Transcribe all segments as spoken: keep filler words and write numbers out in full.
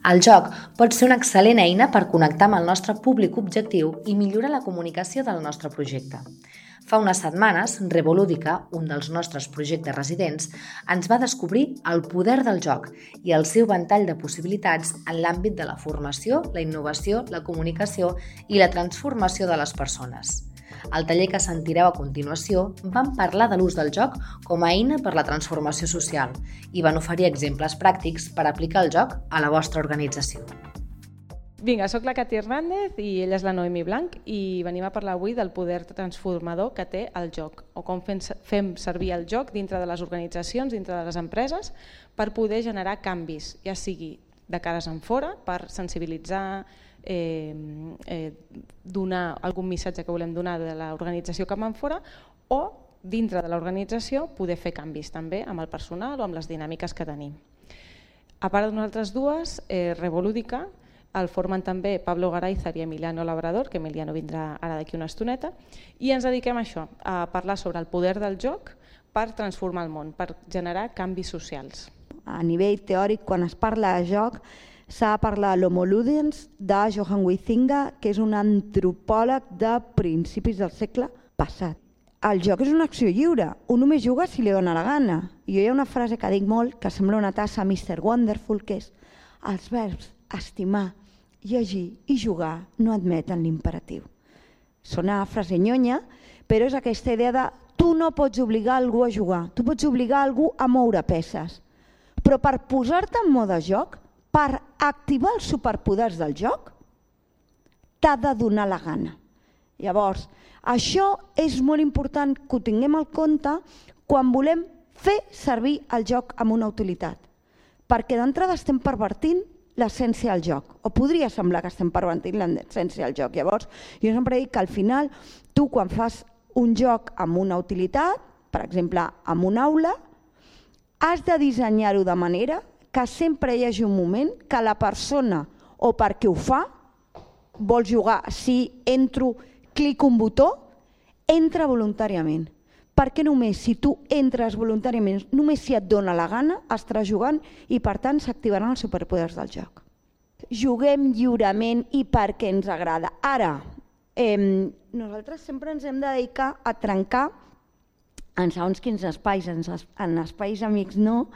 El joc pot ser una excel·lent eina per connectar amb el nostre públic objectiu i millorar la comunicació del nostre projecte. Fa unes setmanes, Revolúdica, un dels nostres projectes residents, ens va descobrir el poder del joc i el seu ventall de possibilitats en l'àmbit de la formació, la innovació, la comunicació i la transformació de les persones. Al taller que sentireu a continuació vam parlar de l'ús del joc com a eina per la transformació social i van oferir exemples pràctics per aplicar el joc a la vostra organització. Vinga, soc la Cati Hernández i ella és la Noemi Blanc i venim a parlar avui del poder transformador que té el joc o com fem servir el joc dintre de les organitzacions, dintre de les empreses per poder generar canvis, ja sigui de cares en fora, per sensibilitzar, eh, eh, donar algun missatge que volem donar de l'organització cap en fora o dintre de l'organització poder fer canvis també amb el personal o amb les dinàmiques que tenim. A part de nosaltres dues, eh, Revolúdica, el formen també Pablo Garayzar i Emiliano Labrador, que Emiliano vindrà ara d'aquí una estoneta, i ens dediquem a això, a parlar sobre el poder del joc per transformar el món, per generar canvis socials. A nivell teòric, quan es parla de joc, s'ha de parlar de l'Homo Ludens de Johan Huizinga, que és un antropòleg de principis del segle passat. El joc és una acció lliure, un només juga si li dona la gana. I jo hi ha una frase que dic molt, que sembla una tassa mister Wonderful, que és els verbs estimar, llegir i jugar no admeten l'imperatiu. Sona frase nyonya, però és aquesta idea de tu no pots obligar algú a jugar, tu pots obligar algú a moure peces. Però per posar-te en mode joc, per activar els superpoders del joc, t'ha de donar la gana. Llavors, això és molt important que ho tinguem al compte quan volem fer servir el joc amb una utilitat. Perquè d'entrada estem pervertint l'essència del joc, o podria semblar que estem pervertint l'essència del joc. Llavors, jo sempre dic que al final, tu quan fas un joc amb una utilitat, per exemple, amb una aula, has de dissenyar-ho de manera que sempre hi hagi un moment que la persona, o perquè ho fa, vol jugar, si entro, clico un botó, entra voluntàriament. Perquè només si tu entres voluntàriament, només si et dona la gana, estaràs jugant i per tant s'activaran els superpoders del joc. Juguem lliurement i perquè ens agrada. Ara, eh, nosaltres sempre ens hem de dedicar a trencar en segons quins espais, en, en espais amics no,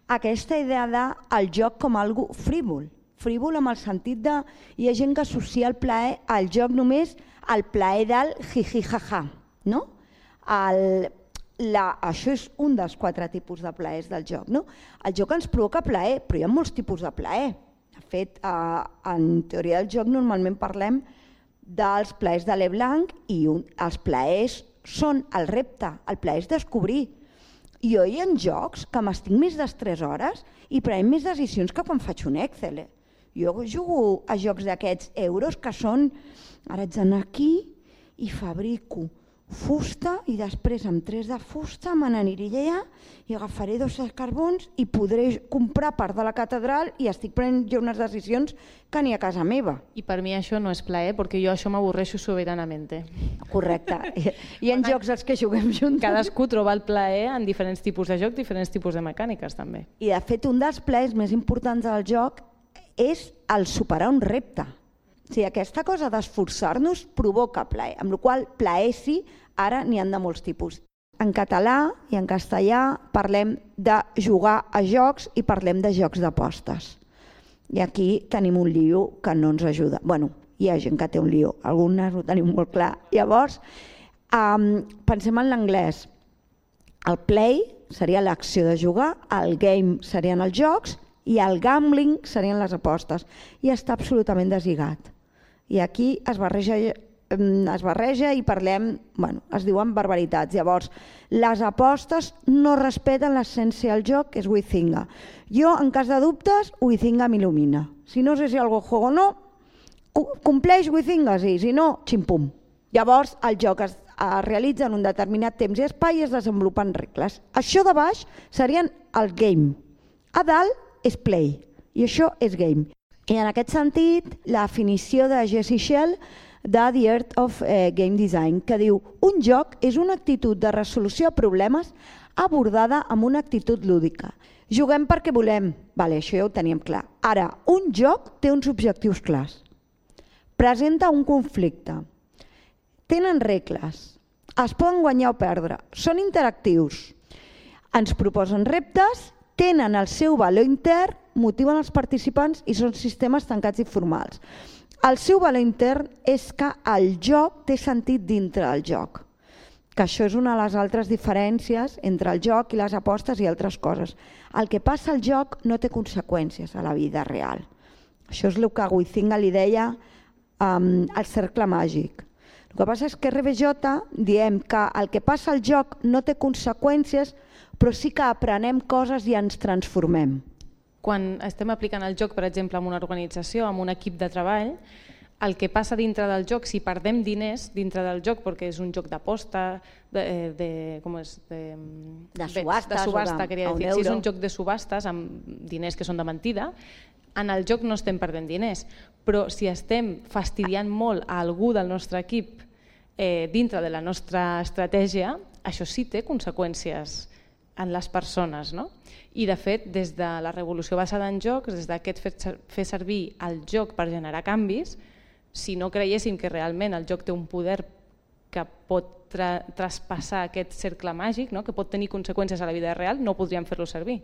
aquesta idea del joc com algo frívol. Frívol amb el sentit de... Hi ha gent que associa el plaer al joc només al plaer del jiji-jaja, no? El, la, això és un dels quatre tipus de plaers del joc. No? El joc ens provoca plaer, però hi ha molts tipus de plaer. De fet, eh, en teoria del joc normalment parlem dels plaers de Leblanc i un, els plaers són el repte, el plaer és descobrir. Jo hi ha jocs que m'estic més de tres hores i prenc més decisions que quan faig un Excel. Eh? Jo jugo a jocs d'aquests euros que són... Ara haig d'anar aquí i fabrico fusta i després amb tres de fusta me n'aniré allà i agafaré dos carbons i podré comprar part de la catedral i estic prenent jo unes decisions que ni a casa meva. I per mi això no és plaer, perquè jo això m'avorreixo soberanament. Correcte. Hi ha jocs als que juguem junts. Cadascú troba el plaer en diferents tipus de joc, diferents tipus de mecàniques també. I de fet un dels plaers més importants del joc és el superar un repte. O sigui, aquesta cosa d'esforçar-nos provoca plaer, amb la qual cosa plaer sí, ara n'hi ha de molts tipus. En català i en castellà parlem de jugar a jocs i parlem de jocs d'apostes. I aquí tenim un lío que no ens ajuda. Bueno, hi ha gent que té un lío, algunes ho tenim molt clar. Llavors, um, pensem en l'anglès. El play seria l'acció de jugar, el game serien els jocs i el gambling serien les apostes. I està absolutament deslligat. I aquí es barreja, es barreja i parlem, bueno, es diuen barbaritats. Llavors, les apostes no respeten l'essència del joc, que és Huizinga. Jo, en cas de dubtes, Huizinga m'il·lumina. Si no sé si algo juego o no, compleix Huizinga, sí, si no, ximpum. Llavors, el joc es, es realitza en un determinat temps i espai i es desenvolupen regles. Això de baix serien el game. A dalt és play i això és game. I en aquest sentit, la definició de Jesse Shell de The Art of Game Design, que diu un joc és una actitud de resolució de problemes abordada amb una actitud lúdica. Juguem perquè volem, vale, això ja ho teníem clar. Ara, un joc té uns objectius clars. Presenta un conflicte. Tenen regles. Es poden guanyar o perdre. Són interactius. Ens proposen reptes, tenen el seu valor intern, motiven els participants i són sistemes tancats i formals. El seu valor intern és que el joc té sentit dintre del joc, que això és una de les altres diferències entre el joc i les apostes i altres coses. El que passa al joc no té conseqüències a la vida real. Això és el que Huizinga li deia um, al cercle màgic. El que passa és que R B J diem que el que passa al joc no té conseqüències, però sí que aprenem coses i ens transformem. Quan estem aplicant el joc, per exemple, en una organització, en un equip de treball, el que passa dintre del joc, si perdem diners dintre del joc, perquè és un joc d'aposta, de, de, com és, de, de subhastes, de subhasta, de, queria dir, si és un joc de subhastes amb diners que són de mentida, en el joc no estem perdent diners, però si estem fastidiant molt a algú del nostre equip eh, dintre de la nostra estratègia, això sí té conseqüències en les persones, no? I de fet, des de la revolució basada en jocs, des d'aquest fer servir el joc per generar canvis, si no creiéssim que realment el joc té un poder que pot tra traspassar aquest cercle màgic, no? Que pot tenir conseqüències a la vida real, no podríem fer-lo servir.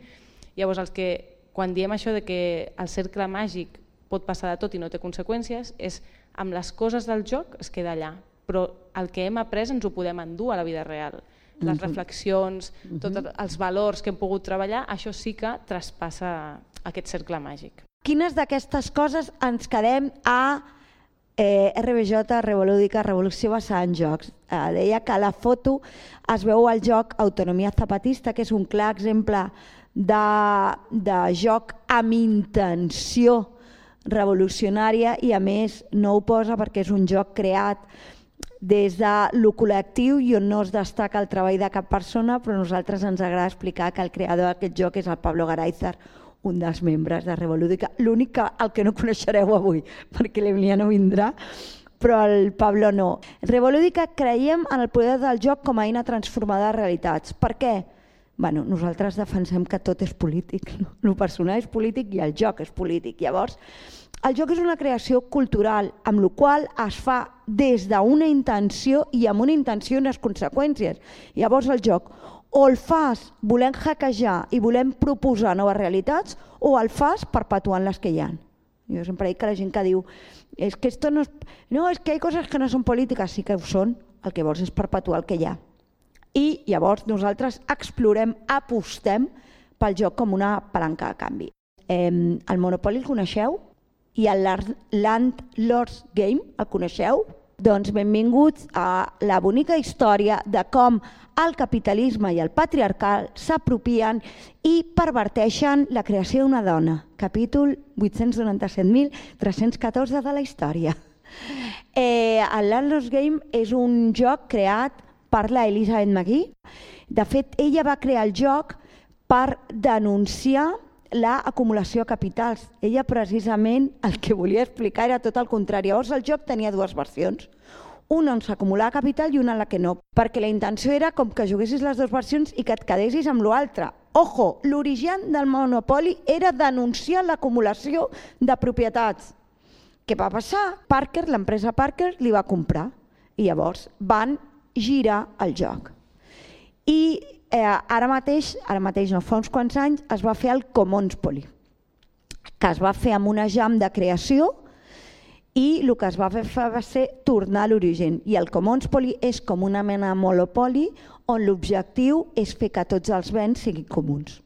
Llavors, els que, quan diem això de que el cercle màgic pot passar de tot i no té conseqüències, és amb les coses del joc es queda allà, però el que hem après ens ho podem endur a la vida real. Les reflexions, tots els valors que hem pogut treballar, això sí que traspassa aquest cercle màgic. Quines d'aquestes coses ens quedem a eh, R B J, Revolúdica, Revolució basada en jocs? Eh, deia que a la foto es veu el joc Autonomia Zapatista, que és un clar exemple de, de joc amb intenció revolucionària i a més no ho posa perquè és un joc creat des de lo col·lectiu i on no es destaca el treball de cap persona, però a nosaltres ens agrada explicar que el creador d'aquest joc és el Pablo Garayzar, un dels membres de Revolúdica. L'únic que el que no coneixereu avui, perquè l'Emiliano vindrà, però el Pablo no. Revolúdica creiem en el poder del joc com a eina transformadora de realitats. Per què? Bueno, nosaltres defensem que tot és polític. No? El personal és polític i el joc és polític. Llavors, el joc és una creació cultural, amb la qual es fa des d'una intenció i amb una intenció i unes conseqüències. Llavors el joc o el fas volent hackejar i volent proposar noves realitats o el fas perpetuant les que hi ha. Jo sempre dic que la gent que diu és que esto no, es... no, és que hi ha coses que no són polítiques, sí que ho són, el que vols és perpetuar el que hi ha. I llavors nosaltres explorem, apostem pel joc com una palanca de canvi. Eh, el Monopoly el coneixeu? I el Landlord's Game, el coneixeu? Doncs benvinguts a la bonica història de com el capitalisme i el patriarcal s'apropien i perverteixen la creació d'una dona. Capítol vuit-cents noranta-set mil tres-cents catorze de la història. Eh, el Landlord's Game és un joc creat per la Elizabeth McGee. De fet, ella va crear el joc per denunciar l'acumulació de capitals. Ella precisament el que volia explicar era tot el contrari. Llavors el joc tenia dues versions. Una on s'acumulava capital i una en la que no. Perquè la intenció era com que juguessis les dues versions i que et quedessis amb l'altra. Ojo, l'origen del Monopoly era denunciar l'acumulació de propietats. Què va passar? Parker, l'empresa Parker, li va comprar. I llavors van girar el joc. I Eh, ara mateix, ara mateix no, fa uns quants anys, es va fer el Commonspoly, que es va fer amb una jam de creació i el que es va fer va ser tornar a l'origen. I el Commonspoly és com una mena de monopoli on l'objectiu és fer que tots els béns siguin comuns.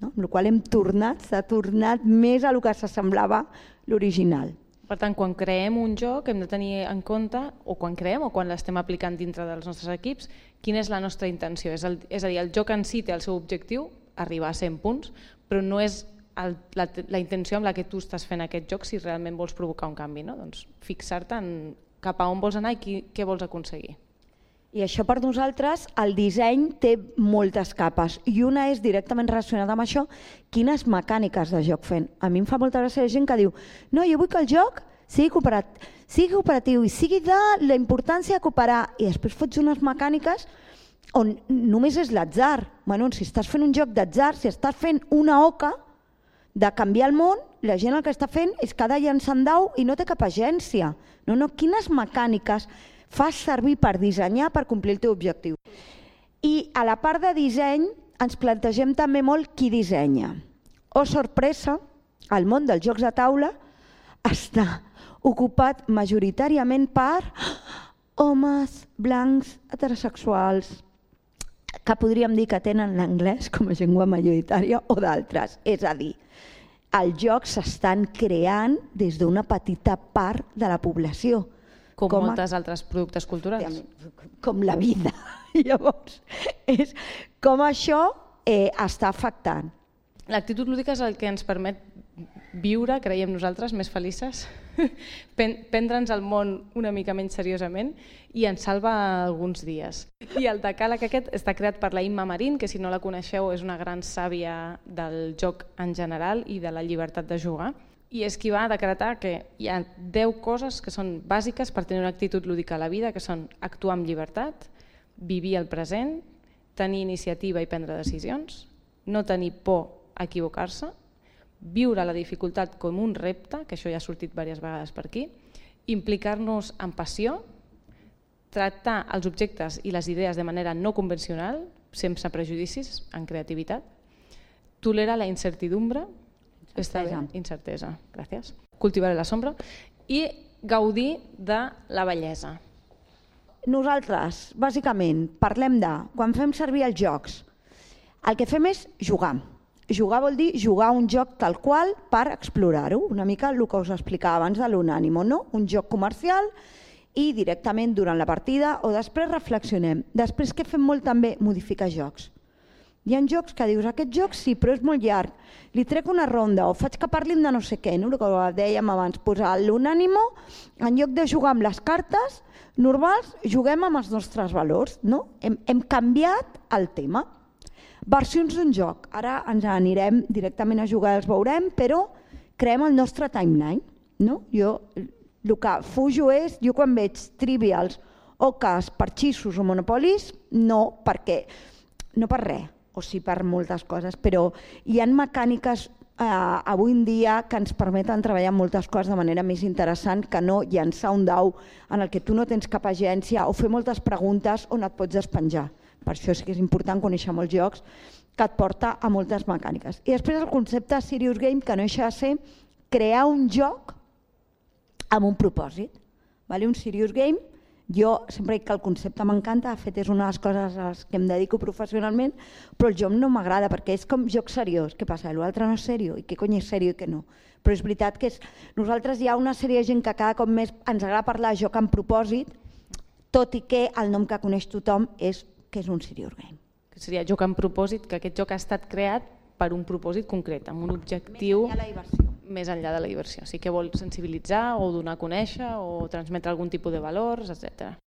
No? Amb la qual hem tornat, s'ha tornat més a el que s'assemblava l'original. Per tant, quan creem un joc hem de tenir en compte, o quan creem o quan l'estem aplicant dintre dels nostres equips, quina és la nostra intenció. És, el, és a dir, el joc en si té el seu objectiu, arribar a cent punts, però no és el, la, la intenció amb la que tu estàs fent aquest joc si realment vols provocar un canvi. No? Doncs fixar-te en cap a on vols anar i qui, què vols aconseguir. I això per nosaltres, el disseny té moltes capes i una és directament relacionada amb això, quines mecàniques de joc fent. A mi em fa molta gràcia la gent que diu no, jo vull que el joc sigui cooperatiu, sigui cooperatiu i sigui de la importància de cooperar i després fots unes mecàniques on només és l'atzar. Bueno, si estàs fent un joc d'atzar, si estàs fent una oca, de canviar el món, la gent el que està fent és cada llançant dau i no té cap agència. No, no, quines mecàniques fas servir per dissenyar per complir el teu objectiu? I a la part de disseny ens plantegem també molt qui dissenya. Oh, sorpresa, el món dels jocs de taula està ocupat majoritàriament per homes blancs heterosexuals que podríem dir que tenen l'anglès com a llengua majoritària o d'altres. És a dir, els jocs s'estan creant des d'una petita part de la població. Com, com moltes a... altres productes culturals. Com la vida. Llavors, és com això eh, està afectant. L'actitud lúdica és el que ens permet viure, creiem nosaltres, més felices, prendre'ns el món una mica menys seriosament i ens salva alguns dies. I el decàleg aquest està creat per la Imma Marín, que si no la coneixeu és una gran sàvia del joc en general i de la llibertat de jugar. I és qui va decretar que hi ha deu coses que són bàsiques per tenir una actitud lúdica a la vida, que són actuar amb llibertat, vivir el present, tenir iniciativa i prendre decisions, no tenir por a equivocar-se, viure la dificultat com un repte, que això ja ha sortit diverses vegades per aquí, implicar-nos en passió, tractar els objectes i les idees de manera no convencional, sense prejudicis, en creativitat, tolerar la incertidumbre, està bé, incertesa, gràcies, cultivar la sombra i gaudir de la bellesa. Nosaltres, bàsicament, parlem de, quan fem servir els jocs, el que fem és jugar. Jugar vol dir jugar un joc tal qual per explorar-ho, una mica el que us explicava abans de l'Unànimo, no? Un joc comercial i directament durant la partida o després reflexionem. Després què fem molt també? Modificar jocs. Hi ha jocs que dius, aquest joc sí, però és molt llarg, li trec una ronda o faig que parlin de no sé què, no? El que dèiem abans, posar l'Unànimo, en lloc de jugar amb les cartes normals, juguem amb els nostres valors, no? Hem, hem canviat el tema. Versions d'un joc, ara ens anirem directament a jugar, els veurem, però creem el nostre timeline. No? Jo el que fujo és, jo quan veig trivials o cas, parxissos o monopolis, no perquè, no per res, o sí per moltes coses, però hi ha mecàniques eh, avui en dia que ens permeten treballar moltes coses de manera més interessant que no llançar un dau en el que tu no tens cap agència o fer moltes preguntes on et pots despenjar. Per això sí que és important conèixer molts jocs que et porta a moltes mecàniques. I després el concepte Serious Game, que no deixa de ser crear un joc amb un propòsit. Un Serious Game, jo sempre dic que el concepte m'encanta, de fet és una de les coses a les que em dedico professionalment, però el joc no m'agrada perquè és com joc seriós. Què passa? L'altre no és seriós? I què cony és seriós i què no? Però és veritat que és... nosaltres hi ha una sèrie de gent que cada cop més ens agrada parlar de joc amb propòsit, tot i que el nom que coneix tothom és que és un serious game. Que seria joc amb propòsit, que aquest joc ha estat creat per un propòsit concret, amb un objectiu més enllà de la diversió. Més enllà de la diversió. Sí que vol sensibilitzar o donar a conèixer o transmetre algun tipus de valors, etcètera.